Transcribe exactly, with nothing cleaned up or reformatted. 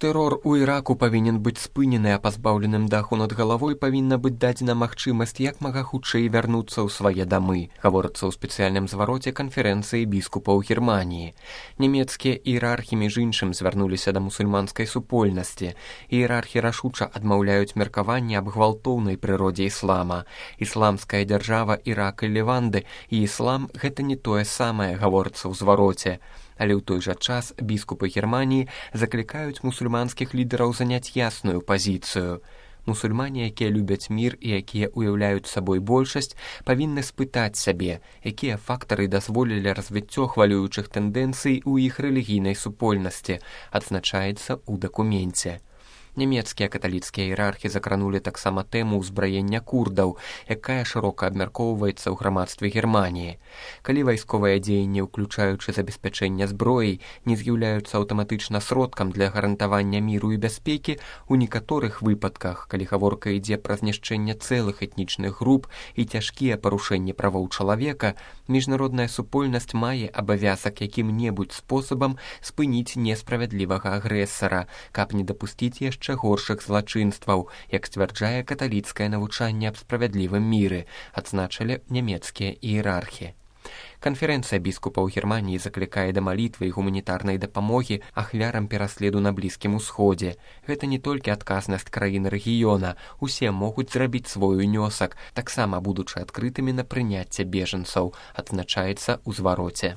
Тэрор у Іраку павінен быць спынены, а пазбаўленым даху над галавой павінна быць дадзена магчымасць як мага хутчэй вярнуцца ў свае дамы, гаворыцца ў спецыяльным звароце канферэнцыі біскупаў Германіі. Нямецкія іерархі між іншым звярнуліся да мусульманскай супольнасці. Іерархі рашуча адмаўляюць меркаванне аб гвалтоўнай прыродзе іслама. Ісламская дзяржава Ірак і Леванды і іслам – гэта не тое самае, гаворыцца ў звароце. Але ў той жа час біскупы Германіі заклікаюць мусульманскіх лідараў заняць ясную пазіцыю. Мусульмане, якія любяць мір і якія ўяўляюць сабой большасць, павінны спытаць сабе, якія фактары дазволілі развіццё хвалюючых тэндэнцый у іх рэлігійнай супольнасці, адзначаецца ў дакуменце. Нямецкія каталіцкія іерархі закранулі таксама тэму ўзбраення курдаў, якая шырока абмяркоўваецца ў грамадстве Германіі. Калі вайсковыя дзеянні, уключаючы забеспячэнне зброяй, не з'яўляюцца аўтаматычна сродкам для гарантавання міру і бяспекі, у некаторых выпадках, калі гаворка ідзе пра знішчэнне цэлых этнічных груп і цяжкія парушэнні правоў чалавека, міжнародная супольнасць мае абавязак якім-небудзь спосабам спыніць несправядлівага агрэсара, каб не дапусціць яшчэ яшчэ горшых злачынстваў, як сцвярджае каталіцкае навучанне аб справядлівым міры, адзначылі нямецкія іерархі. Канферэнцыя біскупаў Германіі заклікае да малітвы і гуманітарнай дапамогі ахвярам пераследу на Блізкім Усходзе. Гэта не толькі адказнасць краін рэгіёна, усе могуць зрабіць свой унёсак, таксама будучы адкрытымі на прыняцце бежанцаў, адзначаецца ў звароце.